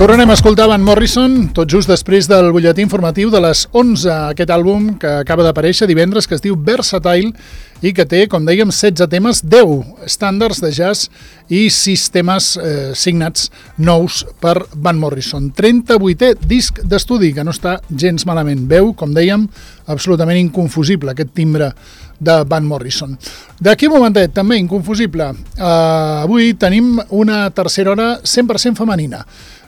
Tornem a escoltar Van Morrison, tot just després del butlletí informatiu de les 11, aquest àlbum que acaba d'aparèixer divendres, que es diu Versatile i que té, com dèiem, 16 temes, 10 estàndards de jazz i 6 temes signats nous per Van Morrison. 38è disc d'estudi, que no està gens malament. Veu, com dèiem, absolutament inconfusible, aquest timbre de Van Morrison. D'aquí un momentet, també inconfusible, avui tenim una tercera hora 100% femenina.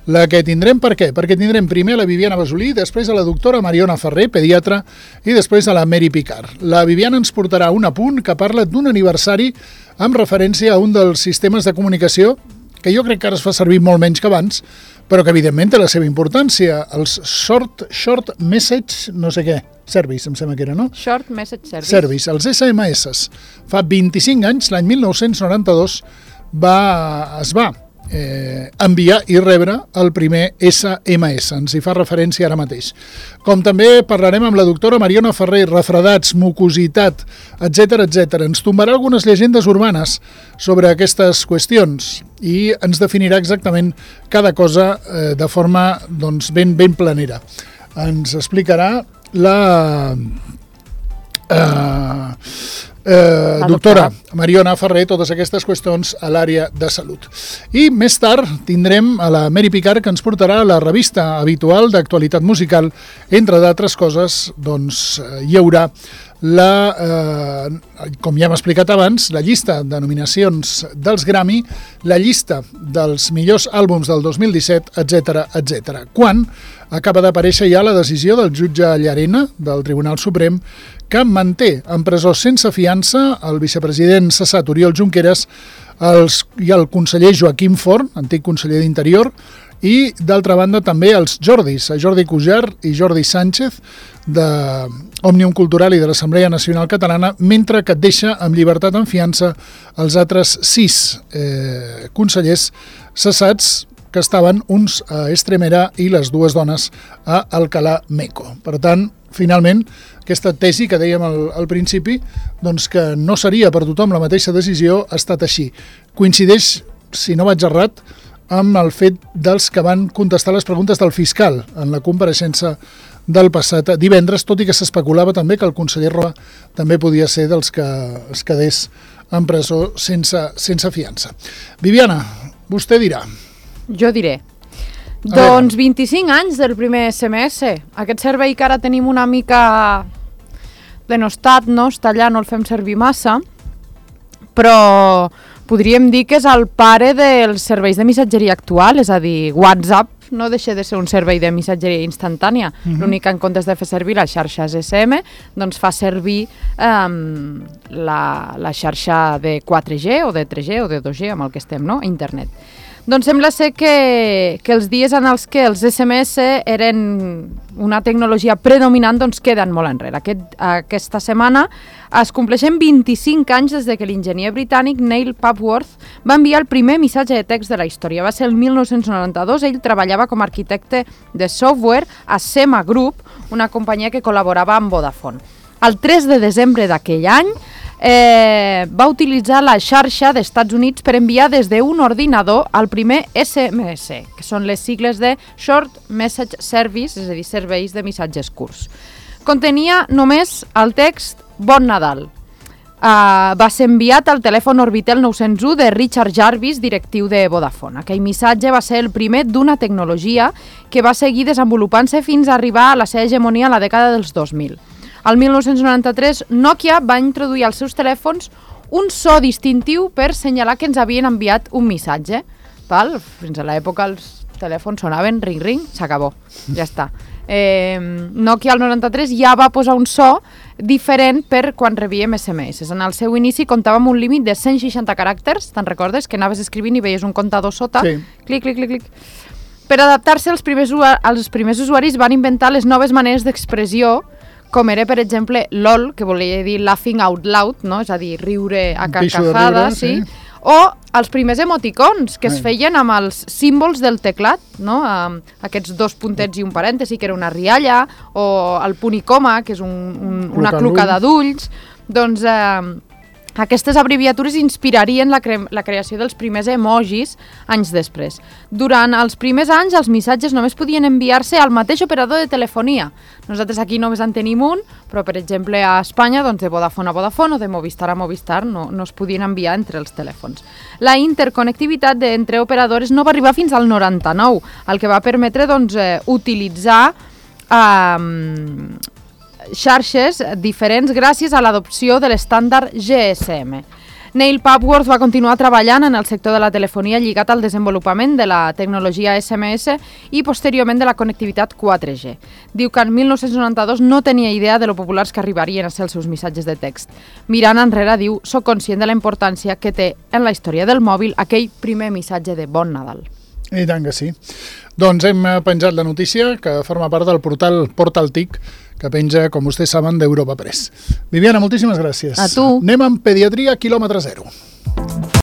La que tindrem, per què? Perquè tindrem primer a la Viviana Basolí, després a la doctora Mariona Ferrer, pediatra, i després a la Mary Picard. La Viviana ens portarà un apunt que parla d'un aniversari amb referència a un dels sistemes de comunicació que jo crec que ara es fa servir molt menys que abans, però que evidentment té la seva importància, els Short Message, no sé què, Service, em sembla que era, no? Short Message Service. Service, els SMS. Fa 25 anys, l'any 1992, es va enviar i rebre el primer SMS, ens hi fa referència ara mateix. Com també parlarem amb la doctora Mariona Ferrer, refredats, mucositat, etc etc. Ens tombarà algunes llegendes urbanes sobre aquestes qüestions i ens definirà exactament cada cosa de forma doncs, ben planera. Ens explicarà la doctora Mariona Ferrer totes aquestes qüestions a l'àrea de salut. I més tard tindrem a la Mary Picard, que ens portarà la revista habitual d'actualitat musical. Entre d'altres coses, doncs, hi haurà com ja hem explicat abans, la llista de nominacions dels Grammy, la llista dels millors àlbums del 2017, etc etc. Quan acaba d'aparèixer ja la decisió del jutge Llarena del Tribunal Suprem, que manté en presó sense fiança el vicepresident cessat Oriol Junqueras i el conseller Joaquim Forn, antic conseller d'Interior, i d'altra banda també els Jordis, Jordi Cujar i Jordi Sánchez d'Òmnium Cultural i de l'Assemblea Nacional Catalana, mentre que et deixa amb llibertat en fiança els altres 6 consellers cessats, que estaven uns a Estremera i les 2 dones a Alcalá Meco. Per tant, finalment, aquesta tesi que dèiem al principi, doncs que no seria per tothom la mateixa decisió, ha estat així. Coincideix, si no vaig errat, amb el fet dels que van contestar les preguntes del fiscal en la compareixença del passat divendres, tot i que s'especulava també que el conseller Roa també podia ser dels que es quedés en presó sense fiança. Viviana, vostè dirà. Jo diré. Doncs 25 anys del primer SMS. Aquest servei que ara tenim una mica denostat, no? Està allà, no el fem servir massa, però podríem dir que és el pare dels serveis de missatgeria actual, és a dir, WhatsApp no deixa de ser un servei de missatgeria instantània. L'únic que en comptes de fer servir les xarxes SM, doncs fa servir la xarxa de 4G o de 3G o de 2G, amb el que estem, no? Internet. Doncs sembla ser que els dies en els que els SMS eren una tecnologia predominant doncs queden molt enrere. Aquesta setmana es compleixen 25 anys des de que l'enginyer britànic Neil Papworth va enviar el primer missatge de text de la història. Va ser el 1992, ell treballava com a arquitecte de software a Sema Group, una companyia que col·laborava amb Vodafone. El 3 de desembre d'aquell any va utilitzar la xarxa d'Estats Units per enviar des d'un ordinador el primer SMS, que són les sigles de Short Message Service, és a dir, serveis de missatges curts. Contenia només el text Bon Nadal. Va ser enviat al telèfon Orbitel 901 de Richard Jarvis, directiu de Vodafone. Aquell missatge va ser el primer d'una tecnologia que va seguir desenvolupant-se fins a arribar a la seva hegemonia a la dècada dels 2000. El 1993, Nokia va introduir als seus telèfons un so distintiu per senyalar que ens havien enviat un missatge. Fins a l'època els telèfons sonaven ring-ring, s'acabó, ja està. Nokia al 93 ja va posar un so diferent per quan rebíem SMS. En el seu inici comptava amb un límit de 160 caràcters, te'n recordes? Que anaves escrivint i veies un comptador sota, sí. Clic, clic, clic, clic. Per adaptar-se, els primers usuaris van inventar les noves maneres d'expressió, com era, per exemple, LOL, que volia dir laughing out loud, no? És a dir, riure a carcajada, sí. O els primers emoticons, que es feien amb els símbols del teclat, no? Aquests 2 puntets i un parèntesi, que era una rialla, o el punt i coma, que és una clocada d'ulls. Doncs Aquestes abreviatures inspirarien la creació dels primers emojis anys després. Durant els primers anys, els missatges només podien enviar-se al mateix operador de telefonia. Nosaltres aquí només en tenim un, però per exemple a Espanya, doncs de Vodafone a Vodafone o de Movistar a Movistar no es podien enviar entre els telèfons. La interconnectivitat entre operadores no va arribar fins al 99, el que va permetre doncs, utilitzar xarxes diferents gràcies a l'adopció de l'estàndard GSM. Neil Papworth va continuar treballant en el sector de la telefonia lligat al desenvolupament de la tecnologia SMS i posteriorment de la connectivitat 4G. Diu que en 1992 no tenia idea de lo populars que arribarien a ser els seus missatges de text. Mirant enrere, diu, soc conscient de la importància que té en la història del mòbil aquell primer missatge de Bon Nadal. I tant que sí. Doncs hem penjat la notícia que forma part del portal Portal TIC, que penja, com vostès saben, d'Europa Press. Viviana, moltíssimes gràcies. A tu. Anem amb pediatria quilòmetre zero.